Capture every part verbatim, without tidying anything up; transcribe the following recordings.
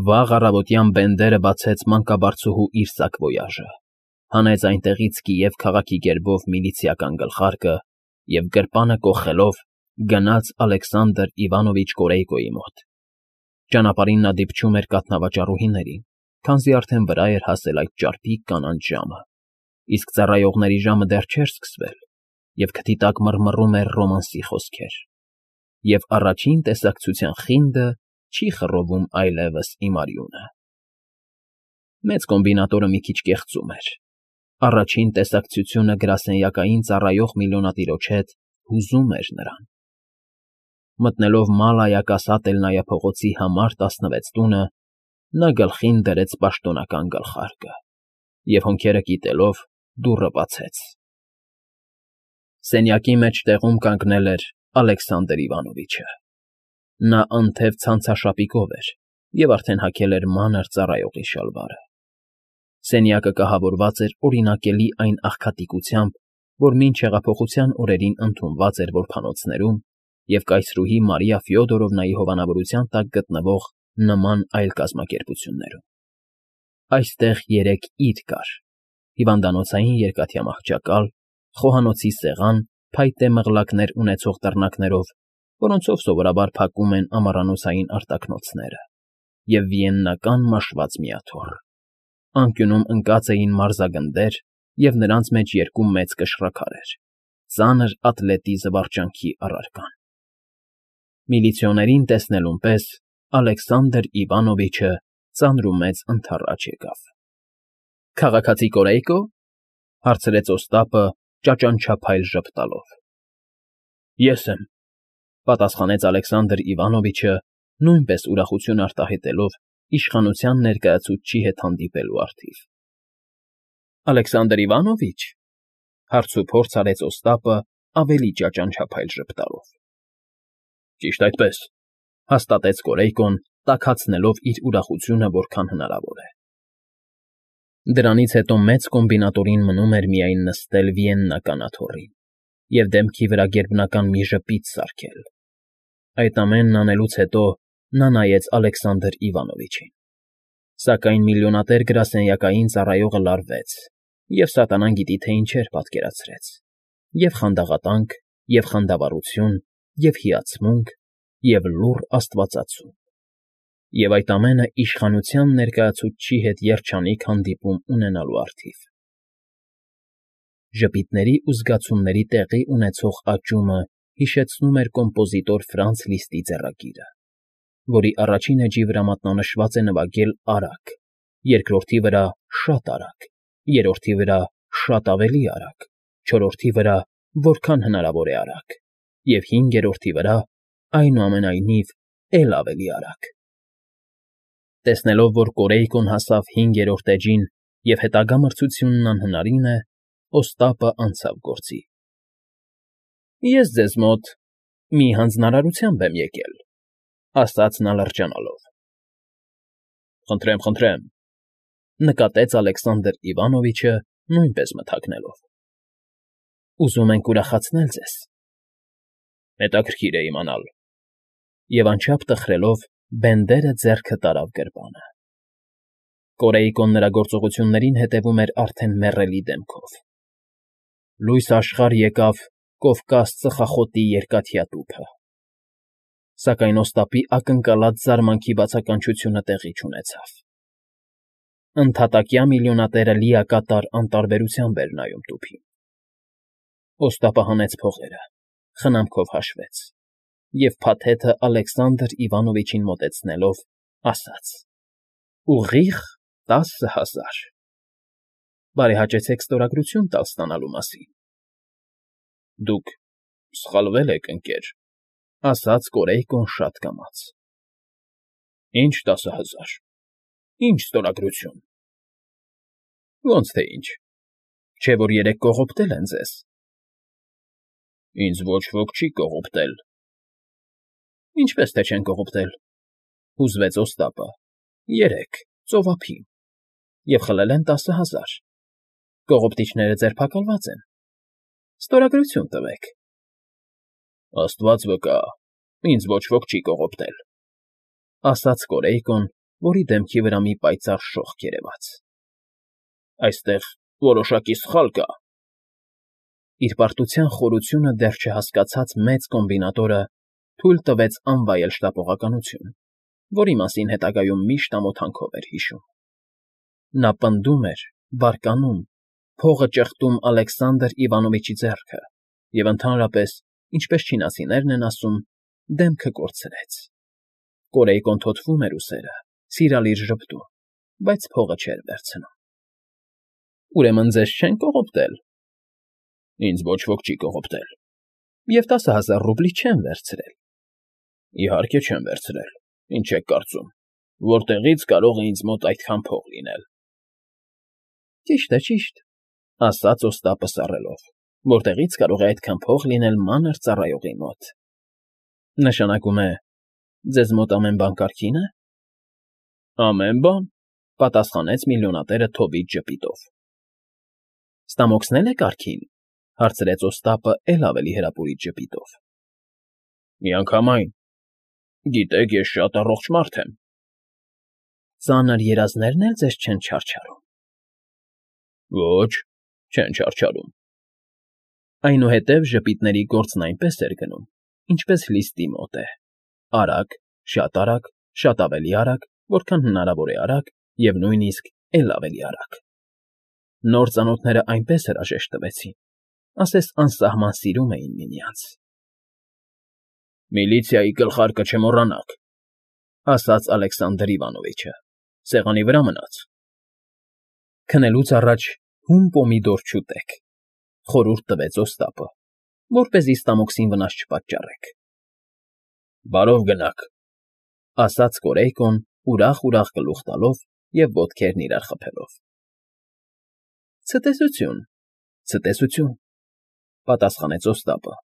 Վաղ առավոտյան Բենդերը բացեց մանկաբարձուհու իր սակվոյաժը, հանեց այնտեղից Կիև քաղաքի գերբով միլիցիական գլխարկը և գրպանը կոխելով գնաց Ալեքսանդր Իվանովիչ Կորեյկոյի մոտ. ճանապարհին նա դիպչում էր կաթնավաճառուհիներին, քանզի արդեն վրա էր հասել այդ ճարպիկ կանաչ ժամը, իսկ ծառայողների ժամը դեռ չէր սկսվել, և քթի տակ մռմռում էր ռոմանսի խոսքեր, և առաջին տեսակցության խինդը չի խռովում այլևս իմ արյունը… Մեծ կոմբինատորը մի քիչ կեղծում էր. առաջին տեսակցությունը գրասենյակային ծառայող միլիոնատիրոջ հետ հուզում էր նրան… Մտնելով Մալայա-Կասատելնայա փողոցի համար տասնվեց տունը, նա գլխին դրեց պաշտոնական գլխարկը և, հոնքերը կիտելով, դուռը բացեց… Սենյակի մեջտեղում կանգնել էր Ալեքսանդր Իվանովիչը… Նա անթև ցանցաշապիկով էր և արդեն հագել էր մանր ծառայողի շալվարը… Սենյակը կահավորված էր օրինակելի այն աղքատիկությամբ, որ մինչ հեղափոխության օրերին ընդունված էր որբանոցներում և կայսրուհի Մարիա Ֆյոդորովնայի հովանավորության տակ գտնվող նման այլ կազմակերպություններում… Այստեղ երեք իր կար. հիվանդանոցային երկաթյա մահճակալ, խոհանոցի սեղան փայտե մղլակներ ունեցող դռնակներով, որոնցով սովորաբար փակում են ամառանոցային արտաքնոցները, և վիեննական մաշված միաթոռ. անկյունում ընկած էին մարզագնդեր և նրանց մեջ երկու մեծ կշռաքարեր, ծանր ատլետի զվարճանքի առարկան… Միլիցիոներին տեսնելուն պես Ալեքսանդր Իվանովիչը ծանրումեծ ընդառաջ եկավ։ ֊ Քաղաքացի Կորեյկո՞, հարցրեց Օստապը ճաճանչափայլ ժպտալով։ ֊ Ես եմ,֊ պատասխանեց Ալեքսանդր Իվանովիչը, նույնպես ուրախություն արտահայտելով իշխանության ներկայացուցչի հետ հանդիպելու առթիվ։ ֊ Ալեքսանդր Իվանովի՞չ,֊ հարցուփորձ արեց Օստապը ավելի ճաճանչափայլ ժպտալով։ ֊ Ճիշտ այդպես,֊ հաստատեց Կորեյկոն, տաքացնելով իր ուրախությունը որքան հնարավոր է։ Դրանից հետո մեծ կոմբինատորին մնում էր միայն նստել վիեննական աթոռին և դեմքի վրա գերբնական մի ժպիտ սարքել… Այդ ամենն անելուց հետո նա նայեց Ալեքսանդր Իվանովիչին… Սակայն միլիոնատեր գրասենյակային ծառայողը լարվեց և սատանան գիտի թե ինչեր պատկերացրեց. և խանդաղատանք, և խանդավառություն, և հիացմունք, և լուռ աստվածացում… Եվ այդ ամենը իշխանության ներկայացուցչի հետ երջանիկ հանդիպում ունենալու առթիվ… Ժպիտների ու զգացումների տեղի ունեցող աճումը հիշեցնում էր կոմպոզիտոր Ֆրանց Լիստի ձեռագիրը, որի առաջին էջի վրա մատնանշված է նվագել արագ, երկրորդի վրա՝ շատ արագ, երրորդի վրա՝ շատ ավելի արագ, չորրորդի վրա՝ որքան հնարավոր է արագ, և հինգերորդի վրա՝ այնուամենայնիվ, էլ ավելի արագ… Տեսնելով, որ Կորեյկոն հասավ հինգերորդ էջին և հետագա մրցությունն անհնարին է, Օստապը անցավ գործի։ ֊ Ես ձեզ մոտ մի հանձնարարությամբ եմ եկել,֊ ասաց նա լրջանալով։ ֊ Խնդրեմ, խնդրեմ,֊ նկատեց Ալեքսանդր Իվանովիչը, նույնպես մթագնելով։ ֊ Ուզում ենք ուրախացնել ձեզ։ ֊ Հետաքրքիր է իմանալ…֊ Եվ անչափ տխրելով Բենդերը ձեռքը տարավ գրպանը։ Կորեյկոն նրա գործողություններին հետևում էր արդեն մեռելի դեմքով։ Լույս աշխարհ եկավ Կովկաս ծխախոտի երկաթյա տուփը… Սակայն Օստապի ակնկալած զարմանքի բացականչությունը տեղի չունեցավ… Ընդհատակյա միլիոնատերը լիակատար անտարբերությամբ էր նայում տուփին… Օստապը հանեց փողերը, խնամքով հաշվեց և, փաթեթը Ալեքսանդր Իվանովիչին մոտեցնելով, ասաց. ֊ Ուղիղ տասը հազար… Բարեհաճեցեք ստորագրություն տալ ստանալու մասին։ ֊ Դուք սխալվել եք, ընկեր,֊ ասաց Կորեյկոն շատ կամաց։ ֊ Ի՞նչ տասը հազար… Ի՞նչ ստորագրություն… Ոնց թե ինչ… Չէ՞ որ երեկ կողոպտել են ձեզ… ֊ Ինձ ոչ ոք չի կողոպտել… ֊ Ինչպես թե չեն կողոպտել,֊ հուզվեց Օստապը,֊ երեկ, ծովափին… Եվ խլել են տասը հազար… Կողոպտիչները ձերբակալված են… Ստորագրություն տվեք… ֊ Աստված վկա, ինձ ոչ ոք չի կողոպտել,֊ ասաց Կորեյկոն որի դեմքի վրա մի պայծառ շողք երևաց։ ֊ Այստեղ որոշակի սխալ կա… Իր պարտության խորությունը դեռ չհասկացած մեծ կոմբինատորը թույլ տվեց անվայել շտապողականություն, որի մասին հետագայում միշտ ամոթանքով էր հիշում։ Նա պնդում էր, բարկանում, փողը ճեղտում Ալեքսանդր Իվանովիչի ձեռքը և, ընդհանրապես, ինչպես չինացիներն են ասում, դեմքը կորցրեց։ Կորեյկոն թոթվում էր ուսերը, սիրալիր ժպտում, բայց փողը չէր վերցնում։ ֊ Ուրեմն ձեզ չեն կողոպտել։ ֊ Ինձ ոչ ոք չի կողոպտել։ ֊ Եվ տասը հազար ռուբլի չեն վերցրել։ ֊ Իհարկե չեն վերցրել, ինչ եք կարծում, որտեղի՞ց կարող է ինձ մոտ այդքան փող լինել։ ֊ Ճիշտ է, ճիշտ,֊ ասաց Օստապը սառելով,֊ որտեղի՞ց կարող է այդքան փող լինել մանր ծառայողի մոտ։ ֊ Նշանակում է, ձեզ մոտ ամեն բան կարգի՞ն է։ ֊ Ամեն բան,֊ պատասխանեց միլիոնատերը Թոբիտ ժպիտով։ ֊ Ստամոքսն էլ է կարգին,֊ հարցրեց Օստապը էլ ավելի հրապուրիչ ժպիտով։ ֊ Միանգամայն… Գիտեք, ես շատ առողջ մարդ եմ։ ֊ Ծանր երազնե՞րն էլ ձեզ չեն չարչարում։ ֊ Ոչ, չեն չարչարում։ Այնուհետև ժպիտների գործն այնպես էր գնում, ինչպես լիստի մոտ է. արագ, շատ արագ, շատ ավելի արագ, որքան հնարավոր է արագ և նույնիսկ էլ ավելի արագ։ Նոր ծանոթներն այնպես հրաժեշտ տվեցին, ասես անսահման սիրում էին միմյանց։ ֊ Միլիցիայի գլխարկը չմոռանաք,֊ ասաց Ալեքսանդր Իվանովիչը,֊ սեղանի վրա մնաց։ ֊ Քնելուց առաջ հում պոմիդոր չուտեք,֊ խորհուրդ տվեց Օստապը, որպեսզի ստամոքսին վնաս չպատճառեք։ ֊ Բարով գնաք,֊ ասաց Կորեյկոն, ուրախ֊ուրախ գլուխ տալով և ոտքերն իրար խփելով։ ֊ Ցտեսություն, ցտեսություն,֊ պատասխանեց Օստապը,֊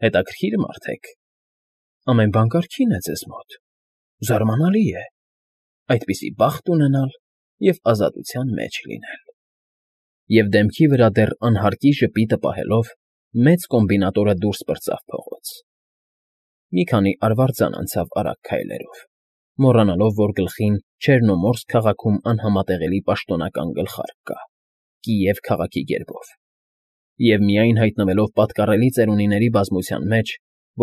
հետաքրքիր մարդ եք, ամեն բան կարգին է ձեզ մոտ, զարմանալի է, այդպիսի բախտ ունենալ և ազատության մեջ լինել… Եվ դեմքի վրա դեռ անհարկի ժպիտը պահելով, մեծ կոմբինատորը դուրս պրծավ փողոց։ Մի քանի արվարձան անցավ արագ քայլերով, մոռանալով, որ գլխին Չեռնոմորսկ քաղաքում անհամատեղելի պաշտոնական գլխարկ կա՝ Կիև քաղաքի գերբով, և միայն հայտնվելով պատկառելի ծերունիների բազմության մեջ,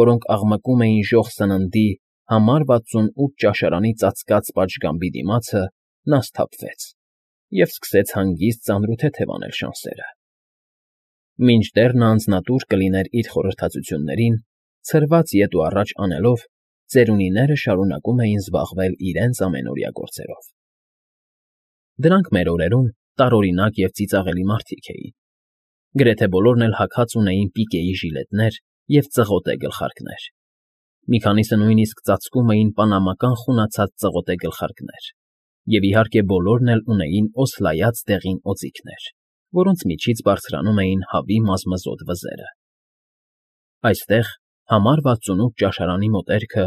որոնք աղմկում էին ժոխ սննդի համար վաթսունութ ճաշարանի ծածկած պատշգամբի դիմացը, նա սթափվեց և սկսեց հանգիստ ծանրութեթև անել շանսերը։ Մինչդեռ նա անձնատուր կլիներ իր խորհրդածություններին, ցրված ետ ու առաջ անելով, ծերունիները շարունակում էին զբաղվել իրենց ամենօրյա գործերով։ Դրանք մեր օրերում տարօրինակ և ծիծաղելի մարդիկ էին։ Գրեթե բոլորն էլ հագած ունեին պիկեի ժիլետներ և ծղոտե գլխարկներ։ Մի քանիսը նույնիսկ ծածկում էին պանամական խունացած ծղոտե գլխարկներ, և, իհարկե, բոլորն էլ ունեին օսլայած դեղին օձիքներ, որոնց միջից բարձրանում էին հավի մազմզոտ վզերը։ Այստեղ, համար վաթսունութ ճաշարանի մոտերքը,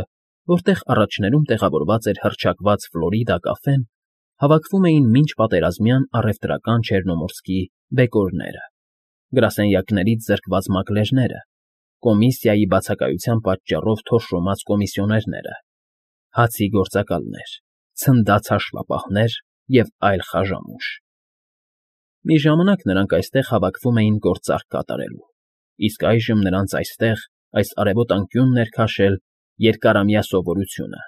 որտեղ առաջներում տեղավորված էր հռչակված Ֆլորիդա կաֆեն, հավաքվում էին մինչպատերազմյան առևտրական Չեռնոմորսկի բեկորները, գրասենյակներից զրկված մակլերները, կոմիսիայի բացակայության պատճառով թորշոմած կոմիսիոներները, հացի գործակալներ, ցնդած հաշվապահներ և այլ խաժամուշ։ Մի ժամանակ նրանք այստեղ հավաքվում էին գործարք կատարելու, իսկ այժմ նրանց այստեղ, այս արևոտ անկյունն էր քաշել երկարամյա սովորությունը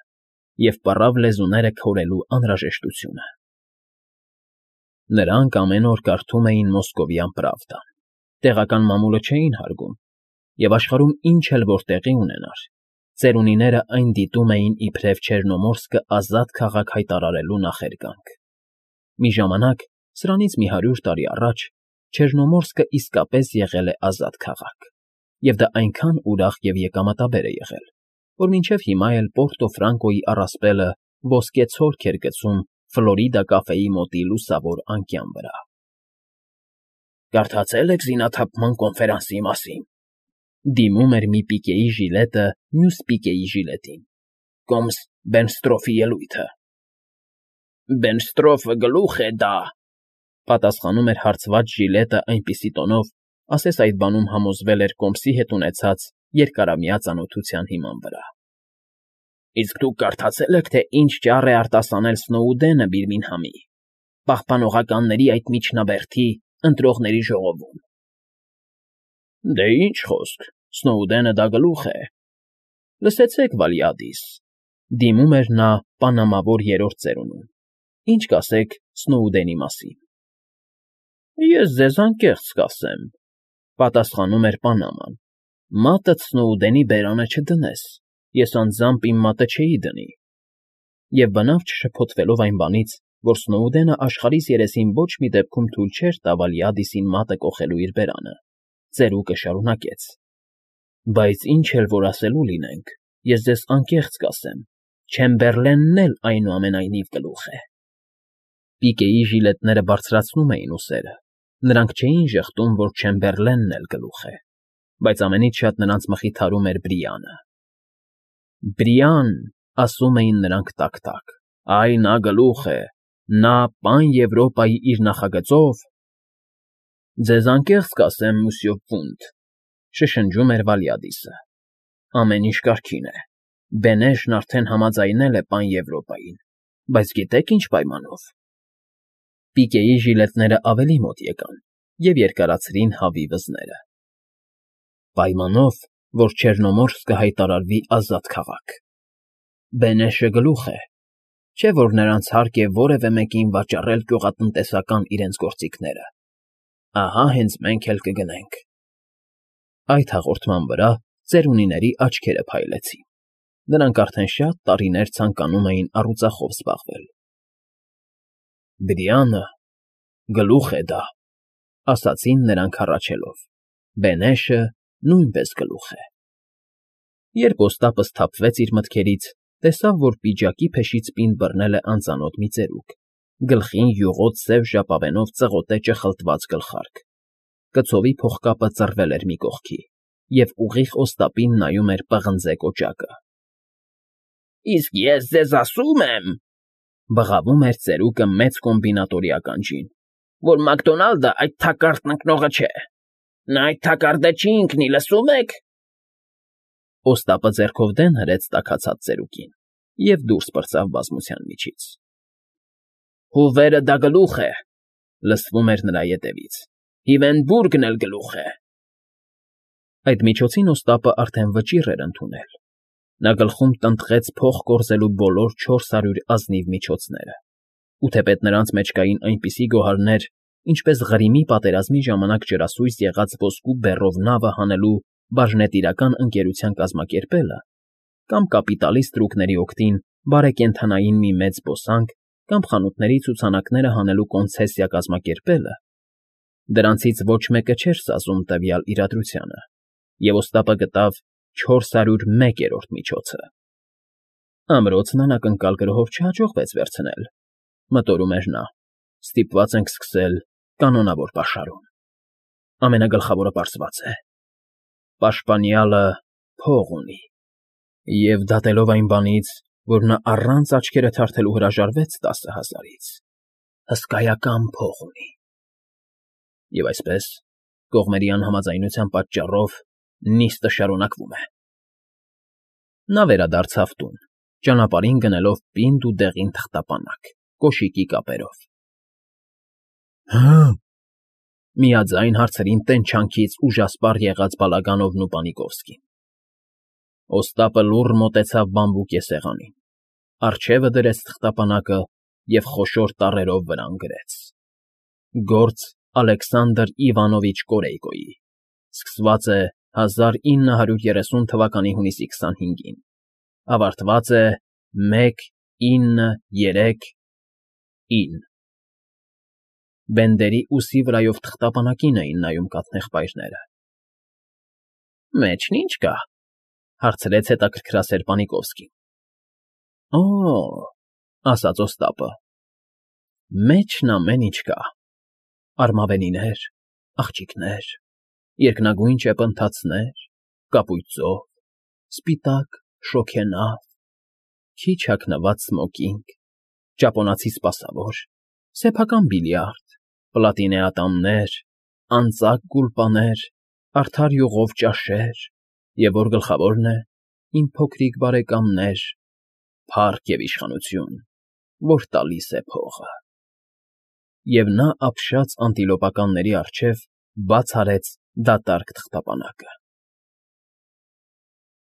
և պառավ լեզուները քորելու անհրաժեշտությունը։ Նրանք ամեն օր կարդում էին Մոսկովյան Պրավդան, տեղական մամուլը չէին հարգում, և աշխարհում ինչ էլ որ տեղի ունենար, ծերունիները այն դիտում էին իբրև Չեռնոմորսկը ազատ քաղաք հայտարարելու նախերգանք։ Մի ժամանակ, սրանից մի հարյուր տարի առաջ, Չեռնոմորսկը իսկապես եղել է ազատ քաղաք, և դա այնքան ուրախ և եկամտաբեր է եղել, որ մինչև հիմա էլ Պորտո Ֆրանկոյի առասպելը ոսկե ցորք էր գցում Ֆլորիդա կաֆեի մոտի լուսավոր անկյան վրա։ Կարդացե՞լ եք զինաթափման կոնֆերանսի մասին,֊ դիմում էր մի պիկեի ժիլետը մյուս պիկեի ժիլետին,֊ կոմս Բերնստրոֆի ելույթը։ ֊ Բերնստրոֆը գլուխ է դա,֊ պատասխանում էր հարցված ժիլետը այնպիսի տոնով, ասես այդ բանում համոզվել էր կոմսի հետ ունեցած երկարամյա ծանոթության հիման վրա։ Իսկ դուք կարդացե՞լ եք, թե ինչ ճառ է արտասանել Սնոուդենը Բիրմինգհամի, պահպանողականների այդ միջնաբերդի ընտրողների ժողովում։ Դե ինչ խոսք, Սնոուդենը դա գլուխ է։ Լսեցեք, Վալիադիս, դիմում էր նա պանամավոր երրորդ ծերունուն, ինչ կասեք Սնոուդենի մասին։ Ես ձեզ անկեղծ կասեմ, պատասխանում էր Պանաման, մատդ Սնոուդենի բերանը չդնես, ես անձամբ իմ մատը չէի դնի։ Եվ բնավ չշփոթվելով այն բանից, որ Սնոուդենը աշխարհիս երեսին ոչ մի դեպքում թույլ չէր տա Վալիադիսին մատը կոխելու իր բերանը, ծերուկը շարունակեց. Բայց ինչ էլ որ ասելու լինենք, ես ձեզ անկեղծ կասեմ, Չեմբերլենն էլ այնուամենայնիվ գլուխ է։ Պիկեի ժիլետները բարձրացնում էին ուսերը, նրանք չէին ժխտում, որ Չեմբերլենն էլ գլուխ է, բայց ամենից շատ նրանց մխիթարում էր Բրիանը։ Բրիան, ասում էին նրանք տակ֊տակ, այ նա գլուխ է, նա պան Եվրոպայի իր նախագծով… Ձեզ անկեղծ կասեմ, մուսյո Պունտ, շշնջում էր Վալիադիսը, ամեն ինչ կարգին է, Բենեշն արդեն համաձայնել է պան Եվրոպային, բայց գիտեք ինչ պայմանով։ Պիկեի ժիլետները ավելի մոտ եկան և երկարացրին հավի վզները։ Պայմանով, որ Չեռնոմորսկը հայտարարվի ազատ քաղաք։ Բենեշը գլուխ է, չէ՞ որ նրանց հարկ է որևէ մեկին վաճառել գյուղատնտեսական իրենց գործիքները։ Ահա հենց մենք էլ կգնենք։ Այդ հաղորդման վրա ծերունիների աչքերը փայլեցին։ Նրանք արդեն շատ տարիներ ցանկանում էին առուծախով զբաղվել։ Բրիանը գլուխ է դա, ասացին նրանք հառաչելով, Բենեշը նույնպես գլուխ է։ Երբ Օստապը սթափվեց իր մտքերից, տեսավ, որ պիջակի փեշից պինդ բռնել է անծանոթ մի ծերուկ, գլխին յուղոտ սև ժապավենով ծղոտեճը խլտված գլխարկ, կցովի փողկապը ծռվել էր մի կողքի, և ուղիղ Օստապին նայում էր պղնձե կոճակը։ Իսկ ես ձեզ ասում եմ, բղավում էր ծերուկը մեծ կոմբինատորի ականջին, որ Մակդոնալդը այդ թակարդն ընկնողը չէ։ Նա այդ թակարդը չի ընկնի, լսում եք։ Օստապը ձեռքով դեն հրեց տաքացած ծերուկին և դուրս պրծավ բազմության միջից։ Հուվերը դա գլուխ է, լսվում էր նրա ետևից, Հիվենբուրգն էլ գլուխ է։ Այդ միջոցին Օստապը արդեն վճիռ էր ընդունել։ Նա գլխում տնտղեց փող կորզելու բոլոր չորս հարյուր ազնիվ միջոցները, ու թեպետ նրանց մեջ կային այնպիսի գոհարներ, ինչպես Ղրիմի պատերազմի ժամանակ ջրասույզ եղած ոսկու բեռով նավը հանելու բաժնետիրական ընկերության կազմակերպելը, կամ կապիտալի ստրուկների օգտին բարեկենդանային մի մեծ զբոսանք, կամ խանութների ցուցանակները հանելու կոնցեսիա կազմակերպելը, դրանցից ոչ մեկը չէր սազում տվյալ իրադրությանը, և Օստապը գտավ չորս հարյուր մեկերորդ միջոցը։ Ամրոցն անակնկալ գրոհով չհաջողվեց վերցնել, մտորում էր նա, ստիպված ենք սկսել կանոնավոր պաշարում։ Ամենագլխավորը պարզված է. պաշտպանյալը փող ունի, և դատելով այն բանից, որ նա առանց աչքերը թարթելու հրաժարվեց տասը հազարից, հսկայական փող ունի։ Եվ այսպես, կողմերի անհամաձայնության պատճառով նիստը շարունակվում է։ Նա վերադարձավ տուն, ճանապարհին գնելով պինդ ու դեղին թղթապանակ, կոշիկի կապերով։ Հը՞, միաձայն հարցրին տենչանքից ուժասպառ եղած Բալագանովն ու Պանիկովսկին։ Օստապը լուռ մոտեցավ բամբուկե սեղանին, առջևը դրեց թղթապանակը և խոշոր տառերով վրան գրեց. Գործ Ալեքսանդր Իվանովիչ Կորեյկոյի, սկսված է հազար ինը հարյուր երեսուն թվականի հունիսի քսանհինգին, ավարտված է մեկ ինը երեք ինը։ Բենդերի ուսի վրայով թղթապանակին էին նայում կաթնեղբայրները։ Մեջն ի՞նչ կա, հարցրեց հետաքրքրասեր Պանիկովսկին։ Օ՜, ասաց Օստապը, մեջն ամեն ինչ կա, արմավենիներ, աղջիկներ, երկնագույն ճեպընթացներ, կապույտ ծով, սպիտակ շոգենավ, քիչ հագնված սմոկինգ, ճապոնացի սպասավոր, սեփական բիլիարդ, պլատինե ատամներ, անծակ գուլպաներ, արդար յուղով ճաշեր, և որ գլխավորն է, իմ փոքրիկ բարեկամներ, Փառք և իշխանություն, որ տալիս է փողը… Եվ նա ապշած անտիլոպականների առջև բաց արեց դատարկ թղթապանակը։